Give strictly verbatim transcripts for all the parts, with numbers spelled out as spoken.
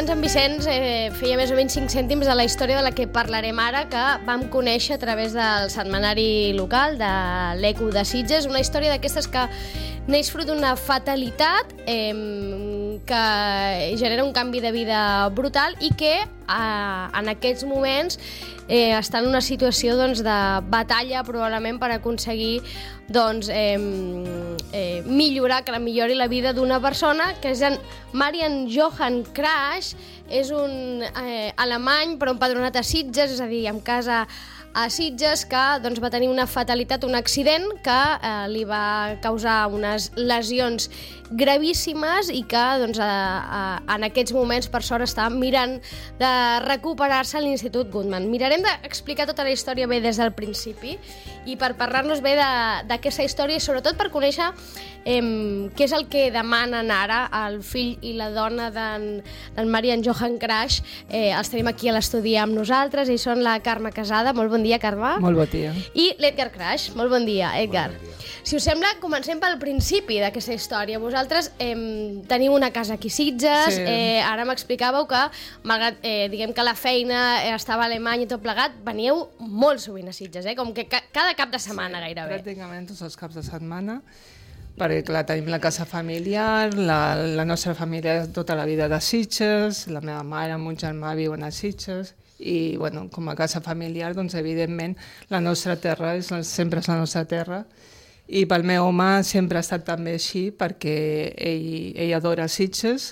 abans en Vicenç eh, feia més o menys cinc cèntims de la història de la que parlarem ara, que vam conèixer a través del setmanari local de l'Eco de Sitges, una història d'aquestes que neix fruit d'una fatalitat eh, que genera un canvi de vida brutal i que eh, en aquests moments eh, està en una situació doncs, de batalla probablement per aconseguir doncs, eh, eh, millorar, que la millori la vida d'una persona, que és en Marian Johann Crash. És un eh, alemany però empadronat a Sitges, és a dir, amb casa a Sitges, que doncs, va tenir una fatalitat, un accident que eh, li va causar unes lesions gravíssimes i que doncs, a, a, en aquests moments, per sort, està mirant de recuperar-se a l'Institut Guttmann. Mirarem d'explicar tota la història bé des del principi i per parlar-nos bé d'aquesta història i sobretot per conèixer eh, què és el que demanen ara el fill i la dona d'en Marian Johann Crash. Eh, els tenim aquí a l'estudi amb nosaltres, ells són la Carme Casada. Molt bon dia, Carme. Molt bon dia. I l'Edgar Crash. Molt bon dia, Edgar. Bon dia. Si us sembla, comencem pel principi d'aquesta història. Vosaltres eh, teniu una casa aquí a Sitges, sí. eh, ara m'explicàveu que, malgrat eh, diguem que la feina eh, estava a Alemanya i tot plegat, veníeu molt sovint a Sitges, eh? Com que ca cada cap de setmana sí, gairebé. Pràcticament tots els caps de setmana, perquè clar, tenim la casa familiar, la, la nostra família tota la vida de Sitges, la meva mare, mon germà viuen a Sitges, i bueno, com a casa familiar, doncs evidentment la nostra terra és, sempre és la nostra terra. I pel meu home sempre ha estat també així, perquè ell, ell adora Sitges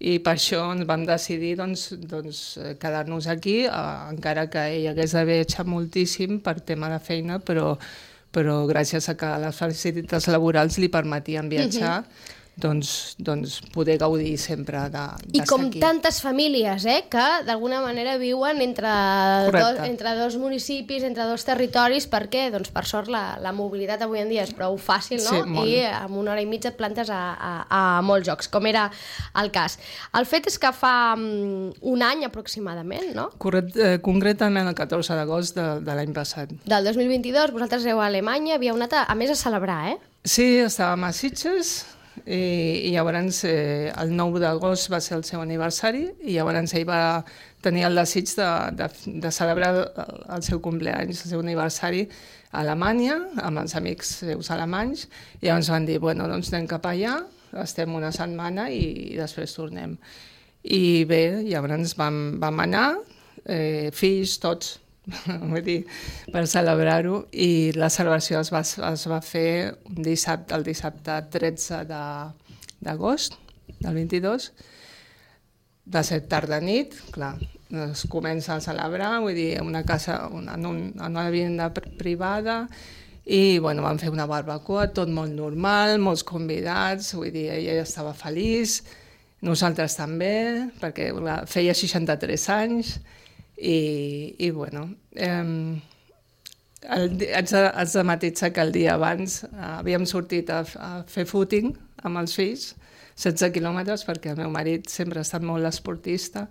i per això ens vam decidir doncs, doncs, quedar-nos aquí, eh, encara que ell hagués de viatjar moltíssim per tema de feina, però, però gràcies a que les facilitats laborals li permetien viatjar, uh-huh. doncs, doncs poder gaudir sempre d'estar aquí. I com tantes famílies, eh, que d'alguna manera viuen entre dos, entre dos municipis, entre dos territoris, perquè, doncs, per sort, la, la mobilitat avui en dia és prou fàcil, no? Sí, I amb una hora i mitja et plantes a, a, a molts jocs, com era el cas. El fet és que fa um, un any aproximadament, no? Corret, eh, concretament el catorze d'agost de, de l'any passat. Del dos mil vint-i-dos, vosaltres éreu a Alemanya, havíeu anat a, a més a celebrar, eh? Sí, estàvem a Sitges, i, i llavors eh, el nou d'agost va ser el seu aniversari i llavors ell va tenir el desig de, de, de celebrar el, el seu cumpleaños, el seu aniversari a Alemanya, amb els amics seus alemanys, i llavors van dir, bueno, doncs anem cap allà, estem una setmana i, i després tornem. I bé, llavors vam, vam anar, eh, fills, tots, vull dir, per celebrar-ho, i la celebració es va, es va fer un dissabte, el dissabte tretze d'agost del vint-i-dos, va ser tarda nit, clar, es comença a celebrar, vull dir, una casa, una, en, un, en una vivienda privada, i bueno, vam fer una barbacoa, tot molt normal, molts convidats, vull dir, ella estava feliç, nosaltres també, perquè clar, feia seixanta-tres anys, i, i bueno, eh, el, haig, de, haig de matitzar que el dia abans eh, havíem sortit a, a fer footing amb els fills, setze quilòmetres, perquè el meu marit sempre ha estat molt esportista,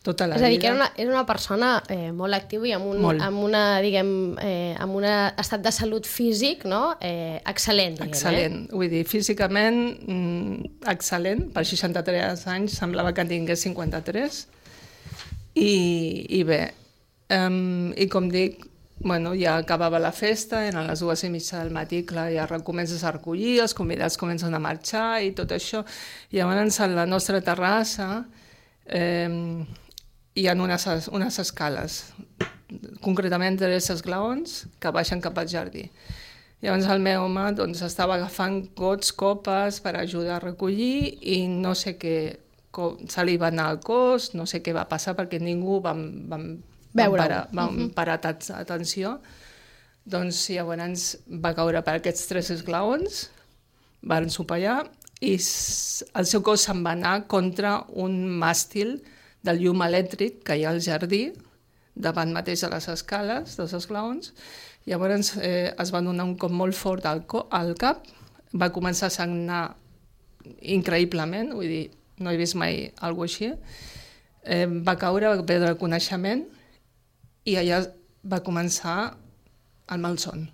tota la vida. És a dir, que era una, era una persona eh, molt activa i amb un amb una, diguem, eh, amb un estat de salut físic, no? eh, excel·lent. Diguem, excel·lent, eh? vull dir, físicament mm, excel·lent, per seixanta-tres anys semblava que en tingués cinquanta-tres, I, i bé, um, i com dic, bueno, ja acabava la festa, eren les dues i mitja del matí, clar, ja comences a recollir, els convidats comencen a marxar i tot això. I llavors a la nostra terrassa eh, hi ha unes, unes escales, concretament tres esglaons que baixen cap al jardí. Llavors el meu home doncs, estava agafant gots, copes per ajudar a recollir i no sé què, se li va anar al cos, no sé què va passar perquè ningú vam, vam, vam parar, vam uh -huh. parar atenció. Doncs llavors va caure per aquests tres esglaons, van sopallar i el seu cos se'n va anar contra un màstil del llum elèctric que hi ha al jardí, davant mateix de les escales, dels esglaons. Llavors eh, es va donar un cop molt fort al, al cap, va començar a sagnar increïblement, vull dir, no he vist mai alguna cosa així, eh, va caure, va perdre el coneixement i allà va començar el malson.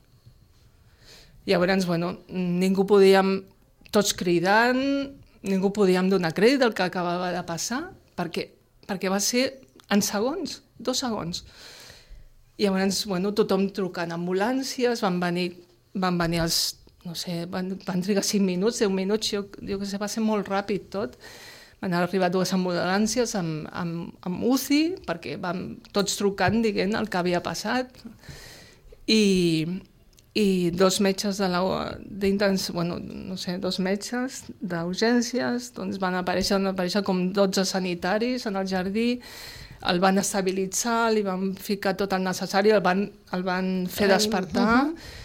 Llavors, bueno, ningú podíem, tots cridant, ningú podíem donar crèdit del que acabava de passar, perquè, perquè va ser en segons, dos segons. I llavors, bueno, tothom trucant ambulàncies, van venir, van venir els, no sé, van, van trigar cinc minuts, deu minuts, jo, jo que sé, va ser molt ràpid tot. Van arribar dues ambulàncies amb, amb, amb U C I, perquè vam tots trucant, dient el que havia passat. I, i dos metges de la, d'intens, bueno, no sé, dos metges d'urgències, doncs van aparèixer, van aparèixer com dotze sanitaris en el jardí, el van estabilitzar, li van ficar tot el necessari, el van, el van fer despertar. Uh-huh.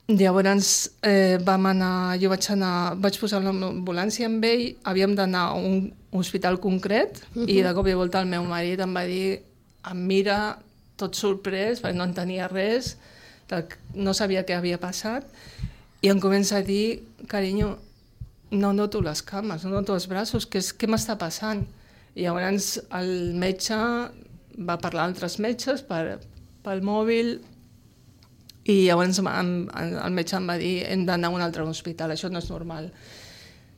Llavors eh, vam anar, jo vaig anar, vaig posar l'ambulància amb ell, havíem d'anar a un hospital concret, uh-huh. i de cop i volta el meu marit em va dir, em mira tot sorprès, perquè no entenia res, no sabia què havia passat, i em comença a dir, carinyo, no noto les cames, no noto els braços, què, què m'està passant? I llavors el metge va parlar amb altres metges per, pel mòbil, i llavors el metge em va dir hem d'anar a un altre hospital, això no és normal.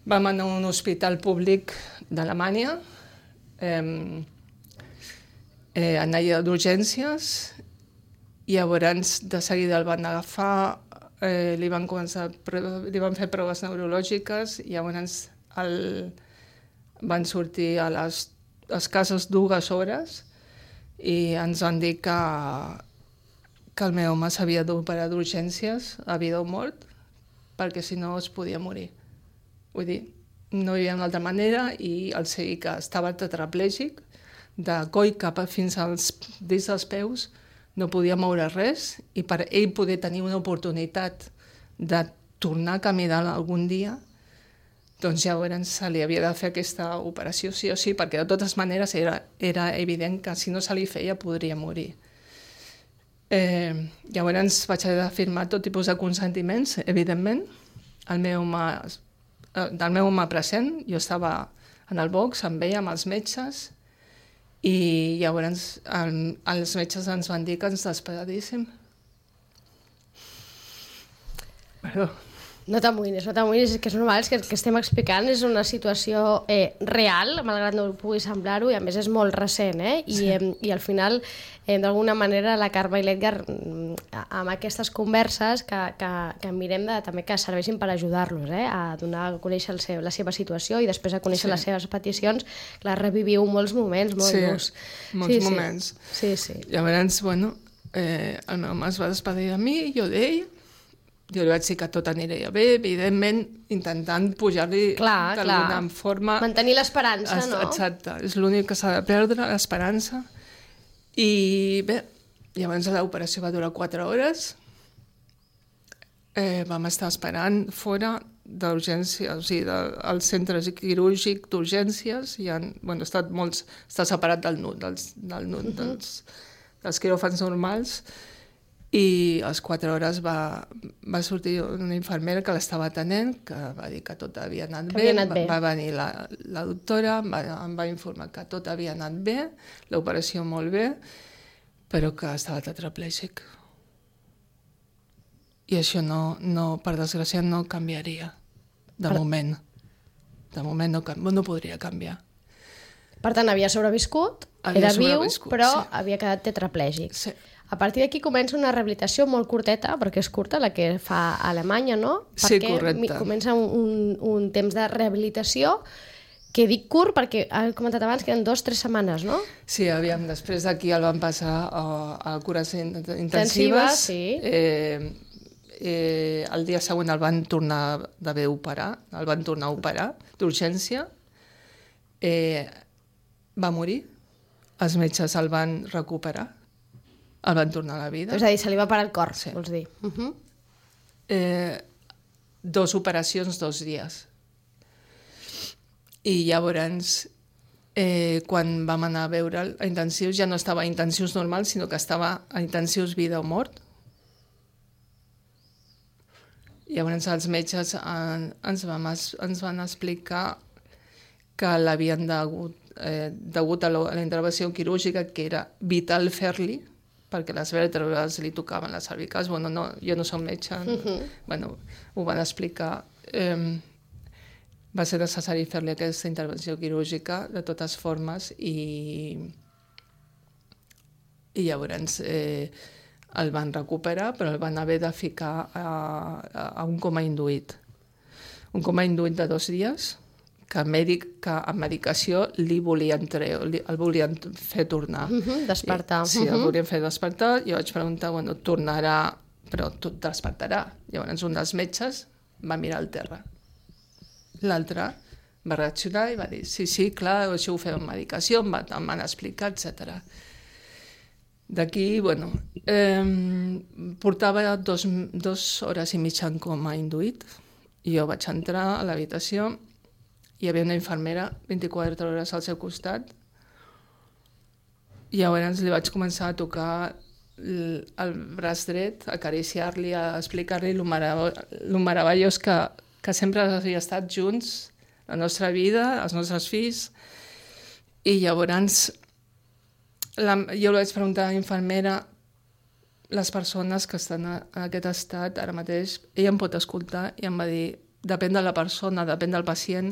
Vam anar a un hospital públic d'Alemanya, eh, eh, anar d'urgències, i llavors de seguida el van agafar, eh, li, van començar, li van fer proves neurològiques, i llavors el, van sortir a les escasses dues hores i ens van dir que que el meu home s'havia d'operar d'urgències a vida o mort, perquè si no es podia morir. Vull dir, no hi havia una altra manera, i el sei que estava tetraplègic, de coll cap a fins als dits dels peus, no podia moure res, i per ell poder tenir una oportunitat de tornar a caminar algun dia, doncs llavors se li havia de fer aquesta operació sí o sí, perquè de totes maneres era, era evident que si no se li feia podria morir. Eh, llavors vaig haver de firmar tot tipus de consentiments, evidentment. El meu home, del meu home present, jo estava en el box amb ell, amb els metges, i llavors el, els metges ens van dir que ens despedíssim. Perdó. No t'amoïnis, no t'amoïnis, és que és normal, és que el que estem explicant és una situació eh, real, malgrat no pugui semblar-ho, i a més és molt recent, eh? I, sí. eh, i al final, eh, d'alguna manera, la Carme i l'Edgar, amb aquestes converses, que, que, que mirem de, també que serveixin per ajudar-los, eh? A donar a conèixer el seu, la seva situació i després a conèixer sí. les seves peticions, clar, reviviu molts moments, molt sí, durs. molts sí, moments. Sí, sí. Llavors, bueno, eh, el meu home es va despedir de mi, jo d'ell. Jo li vaig dir que tot aniria bé, evidentment, intentant pujar-li d'alguna forma. Mantenir l'esperança, no? Exacte, és l'únic que s'ha de perdre, l'esperança. I bé, llavors l'operació va durar quatre hores. Eh, vam estar esperant fora d'urgència, o sigui, del centre quirúrgic d'urgències. I han, bueno, està, molts, està separat del N U T, dels, del N U T, uh-huh. dels, dels quiròfans normals. I a les quatre hores va, va sortir una infermera que l'estava atenent, que va dir que tot havia anat bé. Havia anat bé. Va, va venir la, la doctora, em va, em va informar que tot havia anat bé, l'operació molt bé, però que estava tetraplègic. I això no, no, per desgràcia no canviaria, de per... moment. De moment no, no podria canviar. Per tant, havia sobreviscut, havia era sobreviscut, viu, però sí. havia quedat tetraplègic. Sí. A partir d'aquí comença una rehabilitació molt curteta, perquè és curta, la que fa a Alemanya, no? Sí, perquè correcte. Comença un, un, un temps de rehabilitació, que dic curt perquè, he comentat abans, que eren dues o tres setmanes, no? Sí, aviam, després d'aquí el van passar a, a cures intensives. Intensives, sí. Eh, eh, el dia següent el van tornar d'haver operar, el van tornar a operar d'urgència. Eh, va morir, els metges el van recuperar. El van tornar a la vida. És a dir, se li va parar el cor, sí. Vols dir. Uh-huh. eh, dos operacions, dos dies. I llavors, eh, quan vam anar a veure a intensius, ja no estava a intensius normals, sinó que estava a intensius vida o mort. Llavors els metges en, ens, vam, ens van explicar que l'havien degut, eh, degut a, lo, a la intervenció quirúrgica, que era vital fer-li, perquè les vèrtebres li tocaven les cervicals. Bueno, no, jo no som metge, uh-huh. bueno, ho van explicar. Eh, va ser necessari fer-li aquesta intervenció quirúrgica de totes formes i, i llavors eh, el van recuperar, però el van haver de ficar a, a, a un coma induït. Un coma induït de dos dies, que, mèdic, que amb medicació li volien treure, li, el volien fer tornar. Uh -huh, despertar. I, sí, el volien fer despertar. Jo vaig preguntar, bueno, tornarà, però tot despertarà. Llavors un dels metges va mirar al terra. L'altre va reaccionar i va dir, sí, sí, clar, això ho fem amb medicació, em van, em van explicar, etcètera. D'aquí, bueno, eh, portava dos, dos hores i mitja en coma induït. I jo vaig entrar a l'habitació, hi havia una infermera vint-i-quatre hores al seu costat, i llavors li vaig començar a tocar el, el braç dret, a acariciar-li, a explicar-li el meravellós que, que sempre havia estat junts, la nostra vida, els nostres fills, i llavors la, jo li vaig preguntar a la infermera, les persones que estan en aquest estat ara mateix, ella em pot escoltar i em va dir, depèn de la persona, depèn del pacient,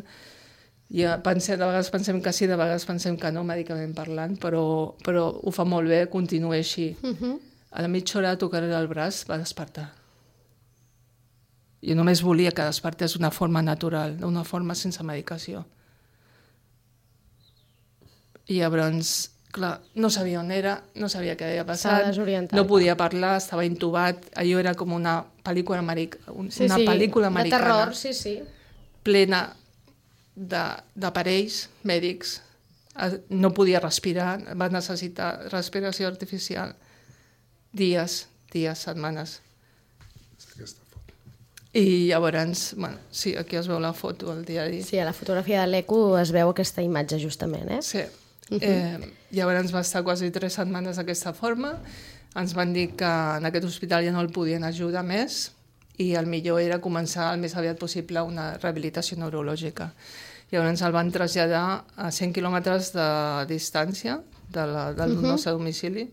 ja pensem, de vegades pensem que sí, de vegades pensem que no, mèdicament parlant, però, però ho fa molt bé, continua així. Uh -huh. A la mitja hora de tocar-li el braç va despertar. Jo només volia que despertés d'una forma natural, d'una forma sense medicació. I llavors, clar, no sabia on era, no sabia què havia passat, no podia parlar, estava intubat, allò era com una pel·lícula, americ... una sí, sí, pel·lícula americana, de terror, sí, sí, plena d'aparells mèdics, no podia respirar, va necessitar respiració artificial, dies, dies, setmanes. Aquesta foto. I llavors, bueno, sí, aquí es veu la foto al diari. Sí, a la fotografia de l'Eco es veu aquesta imatge justament, eh? Sí. Eh, llavors va estar quasi tres setmanes d'aquesta forma, ens van dir que en aquest hospital ja no el podien ajudar més i el millor era començar el més aviat possible una rehabilitació neurològica. Llavors el van traslladar a cent quilòmetres de distància de la, del uh-huh. nostre domicili,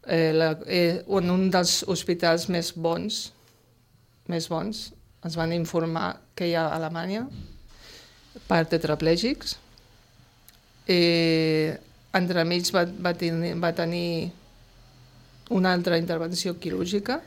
eh, la, eh, en un dels hospitals més bons, més bons, ens van informar que hi ha a Alemanya per tetraplègics. Eh, entremig va, va, tenir, va tenir una altra intervenció quirúrgica.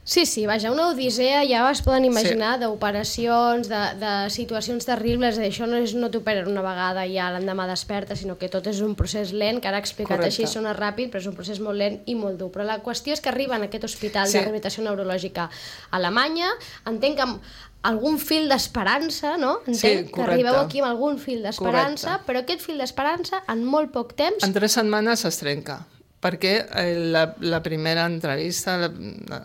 Sí, sí, vaja, una odissea, ja es poden imaginar, sí. d'operacions, de, de situacions terribles, això no és no t'operen una vegada i ja l'endemà desperta, sinó que tot és un procés lent, que ara explicat Correcte. Així sona ràpid, però és un procés molt lent i molt dur. Però la qüestió és que arriben a aquest hospital sí. de rehabilitació neurològica a Alemanya, entenc que amb algun fil d'esperança, no? Entenc sí, que arribeu aquí amb algun fil d'esperança, però aquest fil d'esperança en molt poc temps... En tres setmanes es trenca, perquè la, la primera entrevista la, la,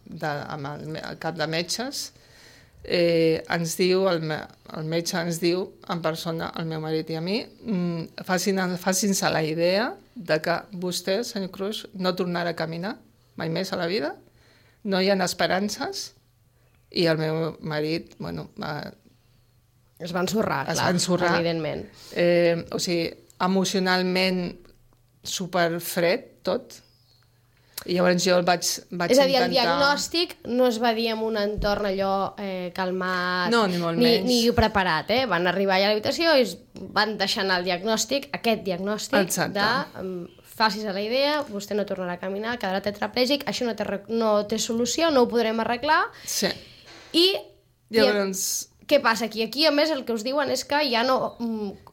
de, amb el, el cap de metges eh, ens diu, el, el metge ens diu en persona, el meu marit i a mi, mm, facin, facin-se la idea de que vostè, senyor Cruz, no tornarà a caminar mai més a la vida, no hi ha esperances. I el meu marit, bueno... Va, es va ensorrar, es clar, va ensorrar, evidentment. Eh, o sigui, emocionalment superfred, tot. I llavors jo el vaig, vaig És a dir, intentar... el diagnòstic no es va dir en un entorn allò eh, calmat, no, ni, molt ni, menys. ni preparat, eh? Van arribar allà a l'habitació i van deixar anar el diagnòstic, aquest diagnòstic Exacte. de... Um, facis a la idea, vostè no tornarà a caminar, quedarà tetraplègic, això no té, no té solució, no ho podrem arreglar. Sí. I, llavors... i què passa aquí? Aquí, a més, el que us diuen és que ja no,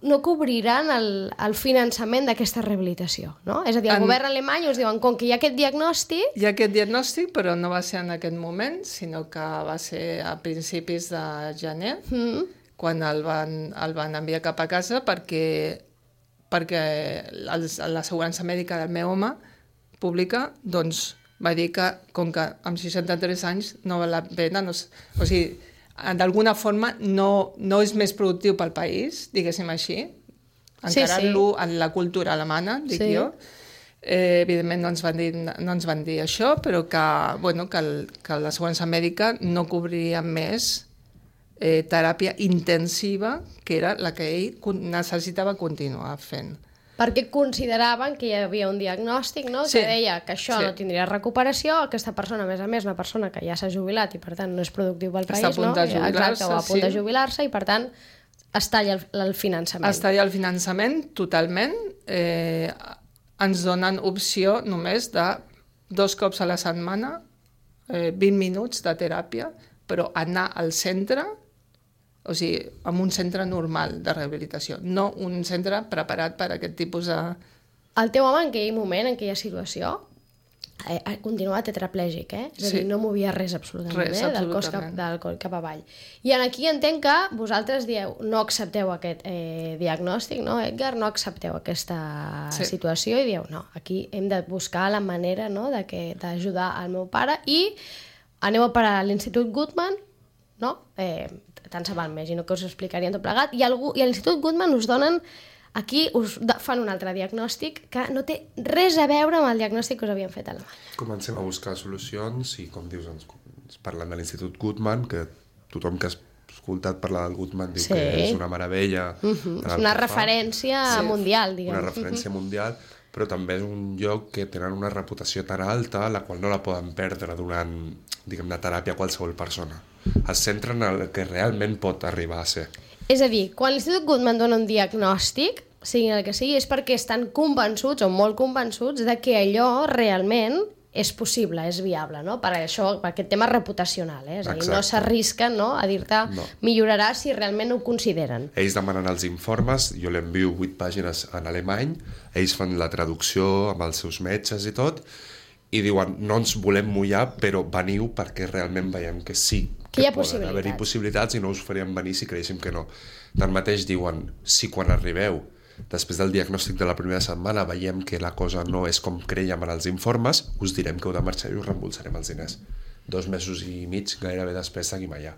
no cobriran el, el finançament d'aquesta rehabilitació, no? És a dir, el en... govern alemany us diuen, com que hi ha aquest diagnòstic... Hi ha aquest diagnòstic, però no va ser en aquest moment, sinó que va ser a principis de gener, mm. quan el van, el van enviar cap a casa perquè... perquè l'assegurança mèdica del meu home pública doncs, va dir que, com que amb seixanta-tres anys no val la pena, no, o sigui, d'alguna forma no, no és més productiu pel país, diguéssim així, encarant-lo sí, sí. en la cultura alemana, dic sí. jo. Eh, evidentment no ens, van dir, no ens van dir això, però que, bueno, que, el, que l'assegurança mèdica no cobriria més Eh, teràpia intensiva, que era la que ell necessitava continuar fent. Perquè consideraven que hi havia un diagnòstic, no?, Sí. que deia que això Sí. no tindria recuperació, aquesta persona, a més a més, una persona que ja s'ha jubilat i, per tant, no és productiu pel Està país, a punt no? de jubilar-se, Exacte, o a punt sí. de jubilar-se, i, per tant, es talla el, el finançament. Es talla el finançament totalment. Eh, ens donen opció només de dos cops a la setmana, eh, vint minuts de teràpia, però anar al centre, o sigui, en un centre normal de rehabilitació, no un centre preparat per a aquest tipus de... El teu home, en aquell moment, en aquella situació, eh, continuava tetraplègic, eh? És a dir, Sí. no movia res absolutament, Res, eh? Del cos cap, absolutament. del coll cap avall. I en aquí entenc que vosaltres dieu, no accepteu aquest eh, diagnòstic, no, Edgar? No accepteu aquesta Sí. situació i dieu, no, aquí hem de buscar la manera, no?, de que- d'ajudar al meu pare, i aneu a parar a l'Institut Guttmann, no? Eh, tant se val, imagino que us ho explicarien tot plegat, i, algú, i a l'Institut Guttmann us donen, aquí us da- fan un altre diagnòstic que no té res a veure amb el diagnòstic que us havien fet a Alemanya. Comencem a buscar solucions i, com dius, ens, ens parlen de l'Institut Guttmann, que tothom que ha escoltat parlar del Guttmann diu Sí. que és una meravella. Uh -huh. en És el una que fa. referència mundial, diguem. Una referència mundial, però també és un lloc que tenen una reputació tan alta, la qual no la poden perdre donant, diguem-ne, teràpia a qualsevol persona. Es centren en el que realment pot arribar a ser. És a dir, quan l'Institut Guttmann dona un diagnòstic, sigui el que sigui, és perquè estan convençuts o molt convençuts de que allò realment és possible, és viable, no? Per això, per aquest tema reputacional, eh? És a dir, no Exacte. s'arrisquen, no?, a dir-te No. millorarà si realment ho consideren. Ells demanen els informes, jo l'envio vuit pàgines en alemany, ells fan la traducció amb els seus metges i tot, i diuen, no ens volem mullar, però veniu perquè realment veiem que sí, Que hi ha poden possibilitats. haver-hi possibilitats i no us faríem venir si creguéssim que no. Tanmateix diuen, si quan arribeu, després del diagnòstic de la primera setmana, veiem que la cosa no és com creiem en els informes, us direm que heu de marxar i us reembolsarem els diners. Dos mesos i mig gairebé després seguim allà.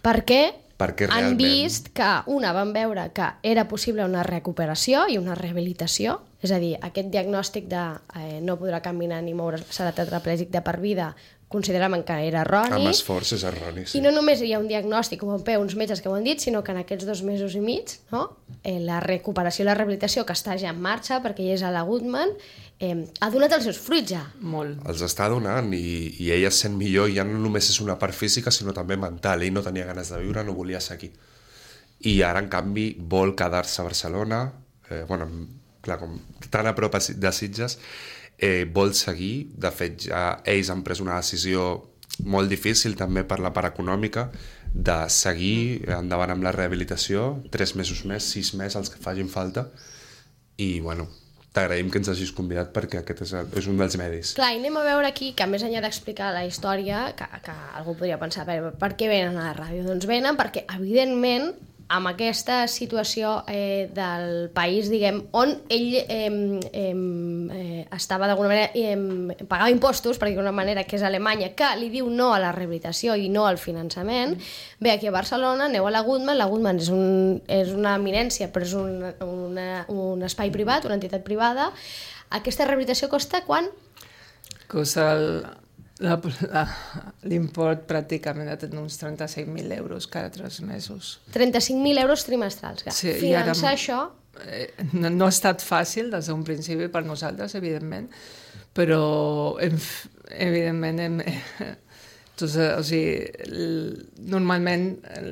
Perquè, Perquè han realment- vist que, una, van veure que era possible una recuperació i una rehabilitació, és a dir, aquest diagnòstic de eh, no podrà caminar ni moure, serà tetraplègic de per vida, consideraven que era erroni. Amb esforç és erroni, sí. I no només hi ha un diagnòstic, com un peu, uns metges que ho han dit, sinó que en aquests dos mesos i mig, no? eh, la recuperació i la rehabilitació, que està ja en marxa, perquè ja és a la Guttmann, eh, ha donat els seus fruits ja. Molt. Els està donant i, i ell es sent millor, ja no només és una part física sinó també mental, ell no tenia ganes de viure, no volia seguir i ara en canvi vol quedar-se a Barcelona, eh, bueno, clar, com tan a prop de Sitges, eh, vol seguir, de fet ja ells han pres una decisió molt difícil també per la part econòmica de seguir endavant amb la rehabilitació, tres mesos més, sis més, els que facin falta, i bueno, t'agraïm que ens hagis convidat perquè aquest és, el, és un dels medis. Clar, i anem a veure aquí que més enllà d'explicar la història, que, que algú podria pensar, per, per què venen a la ràdio? Doncs venen perquè, evidentment, amb aquesta situació eh, del país, diguem, on ell eh, eh, eh, estava d'alguna manera, eh, pagava impostos, per dir-ho d'una manera, que és Alemanya, que li diu no a la rehabilitació i no al finançament, ve aquí a Barcelona, aneu a la Guttmann, la Guttmann és, un, és una eminència, però és un, una, un espai privat, una entitat privada. Aquesta rehabilitació costa quan? Costa el- la- la- l'import pràcticament de tenir uns trenta-cinc mil euros cada tres mesos. trenta-cinc mil euros trimestrals. Que Sí, i ara- finançar això... Eh, no, no ha estat fàcil des d'un principi per nosaltres, evidentment, però hem, f- evidentment hem, doncs, eh, o sigui, l- normalment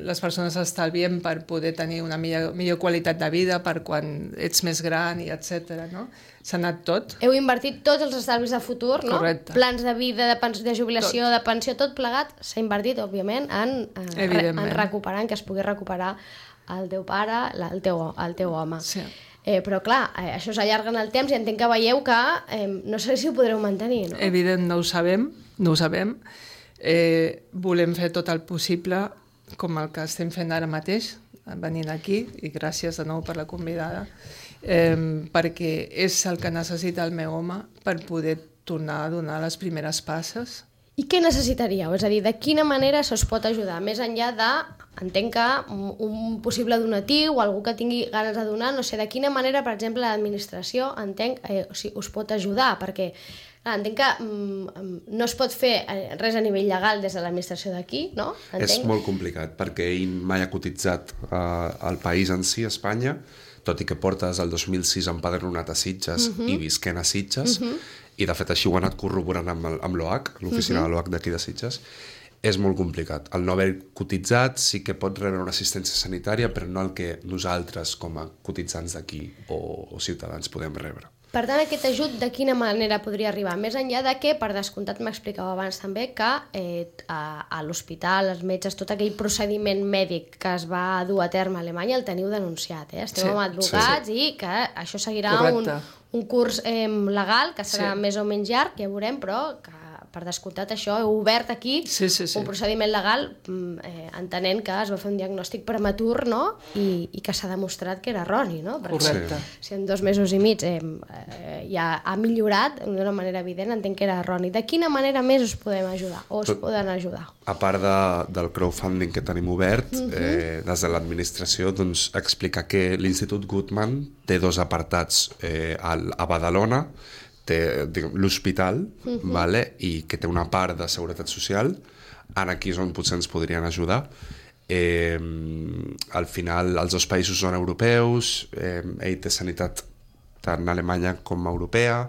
les persones estalvien per poder tenir una millor, millor qualitat de vida per quan ets més gran i etcètera, no? S'ha anat tot. Heu invertit tots els estalvis de futur, no? Correcte. Plans de vida, de, pens de jubilació, tot. de pensió, tot plegat, s'ha invertit, òbviament, en, en, re Evidentment. en recuperar, en que es pugui recuperar el teu pare, la, el, teu, el teu home. Sí. Eh, però clar, eh, això s'allarga en el temps i entenc que veieu que eh, no sé si ho podreu mantenir, no? Evident, no ho sabem, no ho sabem. Eh, volem fer tot el possible, com el que estem fent ara mateix, venint aquí, i gràcies de nou per la convidada, eh, perquè és el que necessita el meu home per poder tornar a donar les primeres passes. I què necessitaríeu? És a dir, de quina manera se us pot ajudar? Més enllà de, entenc que un, un possible donatiu o algú que tingui ganes de donar, no sé, de quina manera, per exemple, l'administració, entenc, eh, o sigui, us pot ajudar, perquè clar, entenc que mm, no es pot fer res a nivell legal des de l'administració d'aquí, no? Entenc. És molt complicat perquè ell mai ha cotitzat eh, al país en si, Espanya, tot i que portes el dos mil sis empadronat a Sitges uh -huh. i visquent a Sitges, uh -huh. i de fet així ho he anat corroborant amb, el, amb l'O H, l'oficina uh -huh. de l'O H d'aquí de Sitges, és molt complicat. El no haver cotitzat sí que pot rebre una assistència sanitària, però no el que nosaltres com a cotitzants d'aquí o, o ciutadans podem rebre. Per tant, aquest ajut de quina manera podria arribar? Més enllà de que, per descomptat, m'explicava abans també que eh, a, a l'hospital, els metges, tot aquell procediment mèdic que es va dur a terme a Alemanya el teniu denunciat, eh? Esteu sí, amb advocats sí, sí. i que això seguirà un, un curs eh, legal que serà sí. més o menys llarg, ja veurem, però que per descomptat això, heu obert aquí sí, sí, sí. un procediment legal eh, entenent que es va fer un diagnòstic prematur, no? I, i que s'ha demostrat que era erroni, no? Perquè correcte. Si en dos mesos i mig eh, eh, ja ha millorat d'una manera evident, entenc que era erroni. De quina manera més us podem ajudar o us Tot, poden ajudar? A part de, del crowdfunding que tenim obert, uh-huh. eh, des de l'administració, doncs, explicar que l'Institut Guttmann té dos apartats eh, a Badalona, té l'hospital, uh-huh. vale? I que té una part de seguretat social, en aquí és on potser ens podrien ajudar. Eh, al final, els dos països són europeus, eh, ell té sanitat tant alemanya com europea,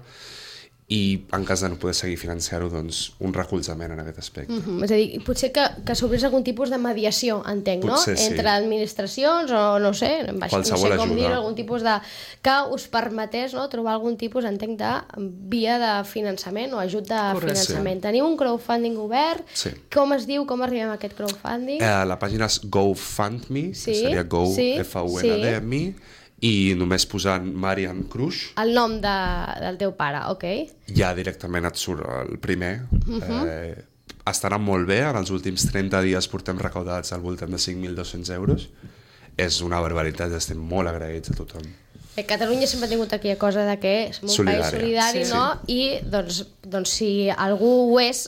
i en cas de no poder seguir financiar-ho, doncs, un recolzament en aquest aspecte. Uh-huh. És a dir, potser que, que s'obrís algun tipus de mediació, entenc, potser, no? Sí. Entre administracions o no sé, baix, no sé com dir-ho, algun tipus de... que us permetés, no?, trobar algun tipus, entenc, de via de finançament o ajut de correcte. Finançament. Sí. Teniu un crowdfunding obert? Sí. Com es diu, com arribem a aquest crowdfunding? Eh, la pàgina és GoFundMe, sí. que seria Go, sí. F U N D, sí. i només posant Marian Krusch, el nom de, del teu pare, ok, ja directament et surt el primer. uh-huh. eh, estarà molt bé, en els últims trenta dies portem recaudats al voltant de cinc mil dos-cents euros, és una barbaritat, estem molt agraïts a tothom. A Catalunya sempre ha tingut aquella cosa de que som un solidària. País solidari, sí, no? Sí. I doncs, doncs si algú ho és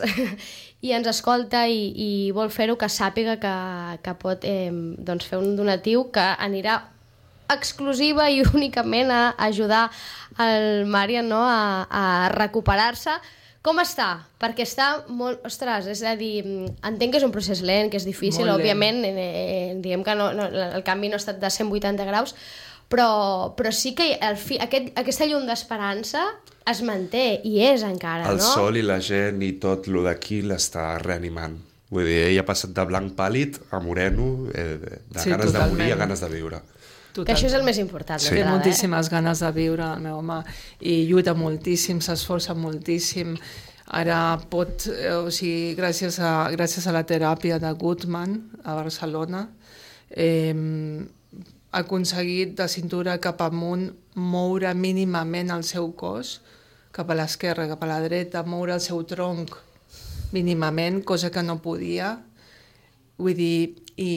i ens escolta i, i vol fer-ho, que sàpiga que, que pot eh, doncs fer un donatiu que anirà exclusiva i únicament a ajudar el Marian, no?, a, a recuperar-se. Com està? Perquè està molt... Ostres, és a dir, entenc que és un procés lent, que és difícil, òbviament, eh, diguem que no, no, el canvi no ha estat de cent vuitanta graus, però, però sí que el fi, aquest, aquesta llum d'esperança es manté, i és encara, el no? El sol i la gent i tot lo d'aquí l'està reanimant. Vull dir, ell ha passat de blanc pàl·lid a moreno, eh, de sí, ganes totalment. De morir a ganes de viure. Total. Que això és el més important. Sí. Té moltíssimes eh? ganes de viure, el meu home, i lluita moltíssim, s'esforça moltíssim. Ara pot, eh, o sigui, gràcies a, gràcies a la teràpia de Guttmann a Barcelona, eh, ha aconseguit de cintura cap amunt moure mínimament el seu cos, cap a l'esquerra, cap a la dreta, moure el seu tronc mínimament, cosa que no podia. Vull dir, i,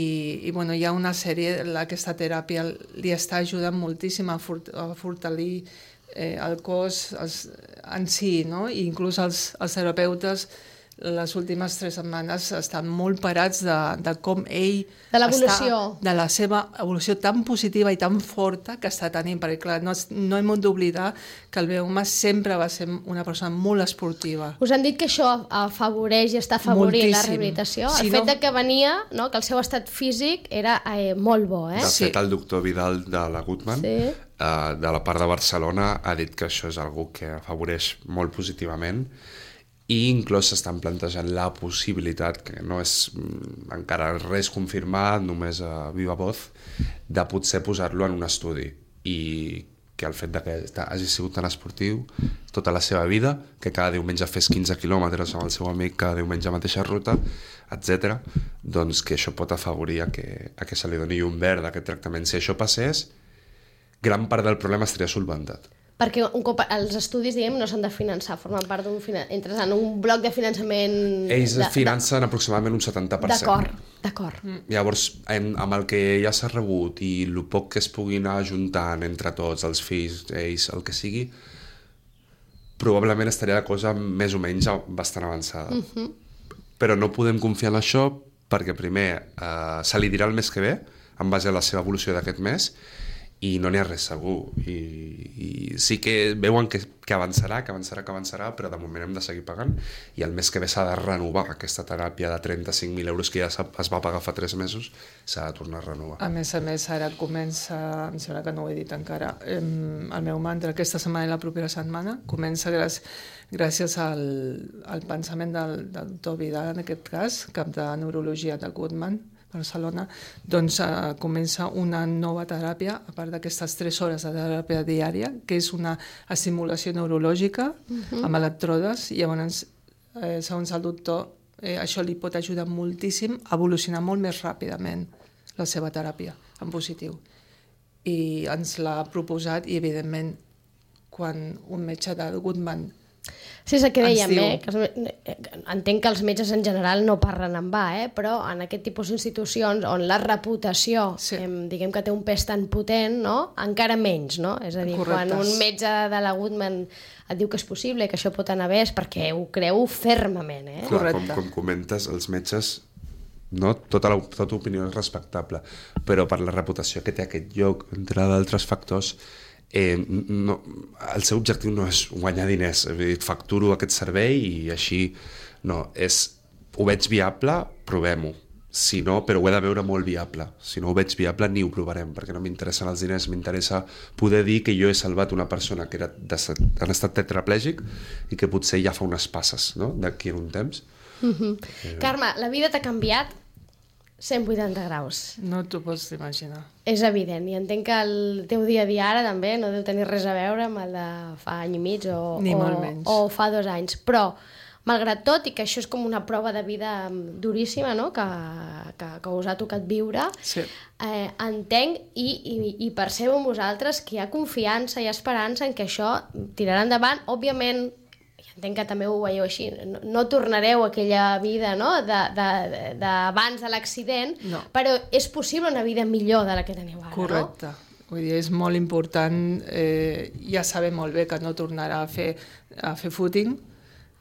i bueno, hi ha una sèrie, aquesta teràpia li està ajudant moltíssim a, fort, a fortalir eh, el cos els, en si, no? I inclús els, els terapeutes les últimes tres setmanes estan molt parats de, de com ell de l'evolució, està, de la seva evolució tan positiva i tan forta que està tenint, perquè clar, no, no hem d'oblidar que el meu home sempre va ser una persona molt esportiva. Us han dit que això afavoreix i està afavorint moltíssim. La rehabilitació? Si el fet no... de que venia, no, que el seu estat físic era eh, molt bo, eh? De sí. fet, el doctor Vidal de la Guttmann, sí. eh, de la part de Barcelona, ha dit que això és algo que afavoreix molt positivament, i inclús s'estan plantejant la possibilitat, que no és encara res confirmat, només a viva voz, de potser posar-lo en un estudi, i que el fet de que hagi sigut tan esportiu tota la seva vida, que cada diumenge fes quinze quilòmetres amb el seu amic, cada diumenge mateixa ruta, etcètera, doncs que això pot afavorir a que, a que se li doni llum verd a aquest tractament. Si això passés, gran part del problema estaria solventat. Perquè un cop els estudis, diguem, no s'han de finançar, formen part d'un finan... entres en un bloc de finançament... Ells de, financen de... aproximadament un setanta per cent. D'acord, d'acord. Mm. Llavors, en, amb el que ja s'ha rebut i el poc que es pugui anar ajuntant entre tots, els fills, ells, el que sigui, probablement estaria la cosa més o menys bastant avançada. Mm-hmm. Però no podem confiar en això perquè primer eh, se li dirà el mes que ve, en base a la seva evolució d'aquest mes, i no n'hi ha res segur. I, i sí que veuen que, que avançarà, que avançarà, que avançarà, però de moment hem de seguir pagant i el mes que ve s'ha de renovar aquesta teràpia de trenta-cinc mil euros que ja es va pagar fa tres mesos, s'ha de tornar a renovar. A més a més, ara comença, em sembla que no ho he dit encara, el meu mantra aquesta setmana i la propera setmana comença gràcies, gràcies al, al pensament del, del doctor Vidal, en aquest cas, cap de neurologia de Goodman, Barcelona, doncs uh, comença una nova teràpia, a part d'aquestes tres hores de teràpia diària, que és una estimulació neurològica uh-huh. amb electrodes, i llavors, eh, segons el doctor, eh, això li pot ajudar moltíssim a evolucionar molt més ràpidament la seva teràpia, en positiu. I ens l'ha proposat, i evidentment, quan un metge de Goodman Sí, és el que dèiem, eh? Que els, entenc que els metges en general no parlen en va, eh? Però en aquest tipus d'institucions on la reputació, sí. eh, diguem que té un pes tan potent, no? Encara menys, no? És a dir, Correctes. Quan un metge de la Goodman et diu que és possible, que això pot anar bé, és perquè ho creu fermament, eh? Clar, com, com comentes, els metges, no? Tota, la, tota opinió és respectable, però per la reputació que té aquest lloc, entre d'altres factors, Eh, no, el seu objectiu no és guanyar diners, facturo aquest servei i així no, és, ho veig viable, provem-ho, si no, però ho he de veure molt viable, si no ho veig viable ni ho provarem, perquè no m'interessen els diners, m'interessa poder dir que jo he salvat una persona que era de, en estat tetraplègic i que potser ja fa unes passes, no?, d'aquí en un temps. Mm-hmm. eh... Carme, la vida t'ha canviat cent vuitanta graus. No t'ho pots imaginar. És evident, i entenc que el teu dia a dia ara també no deu tenir res a veure amb el de fa any i mig o, Ni o, molt menys. o fa dos anys. Però, malgrat tot, i que això és com una prova de vida duríssima, no?, que, que, que us ha tocat viure, sí. eh, entenc i, i, i percebo en vosaltres que hi ha confiança i esperança en que això tirarà endavant. Òbviament, entenc que també ho veieu així, no, no tornareu a aquella vida, no?, d'abans de, de, de l'accident, no. Però és possible una vida millor de la que teniu ara, Correcte. No? Vull dir, és molt important, eh, ja sabem molt bé que no tornarà a fer, a fer footing,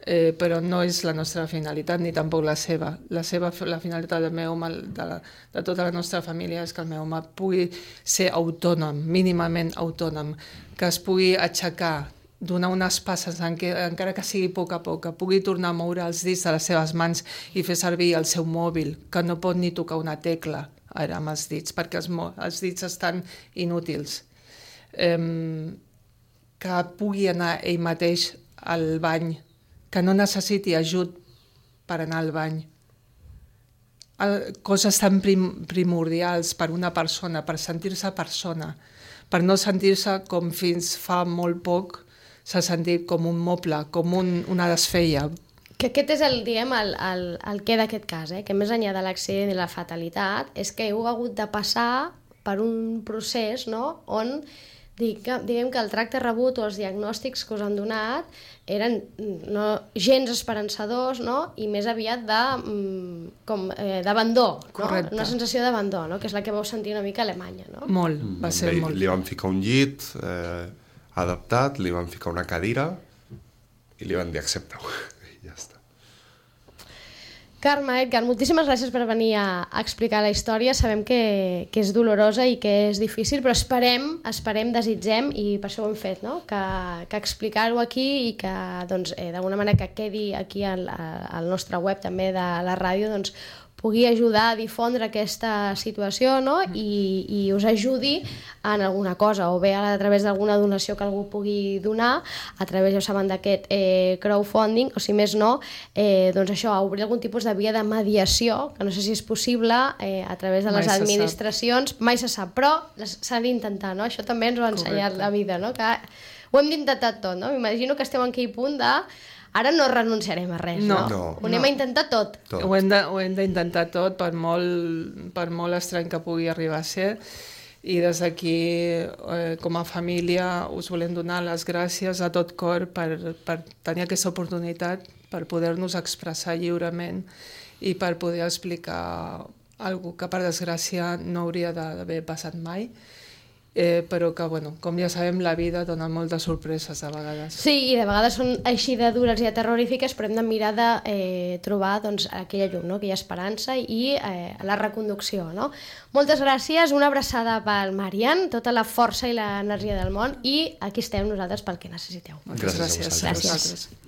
eh, però no és la nostra finalitat, ni tampoc la seva. La seva, la finalitat del meu home, de, la, de tota la nostra família, és que el meu home pugui ser autònom, mínimament autònom, que es pugui aixecar, donar unes passes, encara que sigui a poc a poc, que pugui tornar a moure els dits de les seves mans i fer servir el seu mòbil, que no pot ni tocar una tecla ara amb els dits, perquè els, els dits estan inútils. Um, que pugui anar ell mateix al bany, que no necessiti ajut per anar al bany. El, coses tan prim, primordials per una persona, per sentir-se persona, per no sentir-se com fins fa molt poc s'ha sentit com un moble, com un, una desfeia. Que aquest és el, diguem, el, el, el què d'aquest cas, eh? Que més enllà de l'accident i la fatalitat, és que heu hagut de passar per un procés, no?, on diguem, diguem que el tracte rebut o els diagnòstics que us han donat eren no, gens esperançadors, no?, i més aviat de, com, eh, d'abandó, no? Una sensació d'abandó, no?, que és la que vau sentir una mica a Alemanya, no? Molt, va ser Li, molt. Li van ficar un llit eh, adaptat, li van ficar una cadira i li van dir accepta-ho. I ja està. Carme, Edgar, moltíssimes gràcies per venir a, a explicar la història. Sabem que, que és dolorosa i que és difícil, però esperem, esperem, desitgem, i per això ho hem fet, no?, que, que explicar-ho aquí i que, doncs, eh, d'alguna manera que quedi aquí al, al nostre web també de la ràdio, doncs, pugui ajudar a difondre aquesta situació, no?, i, i us ajudi en alguna cosa, o bé a través d'alguna donació que algú pugui donar, a través, ja ho saben, d'aquest eh, crowdfunding, o si més no, eh, doncs això, obrir algun tipus de via de mediació, que no sé si és possible, eh, a través de les Mai administracions, mai se sap, però s'ha d'intentar, no? Això també ens ho ha ensenyat Correcte. La vida, no?, que ho hem d'intentar tot, no? M'imagino que estem en aquell punt de ara no renunciarem a res, no? No, no. Ho anem no. a intentar tot. tot. Ho hem de, ho hem d'intentar tot, per molt, per molt estrany que pugui arribar a ser. I des d'aquí, eh, com a família, us volem donar les gràcies a tot cor per, per tenir aquesta oportunitat, per poder-nos expressar lliurement i per poder explicar alguna que, per desgràcia, no hauria d'haver passat mai. eh, però que, bueno, com ja sabem, la vida dona moltes sorpreses a vegades. Sí, i de vegades són així de dures i de terrorífiques, però hem de mirar de eh, trobar doncs, aquella llum, no? Aquella esperança i eh, la reconducció. No? Moltes gràcies, una abraçada pel Marian, tota la força i l'energia del món, i aquí estem nosaltres pel que necessiteu. Moltes gràcies. Gràcies a vosaltres. Gràcies.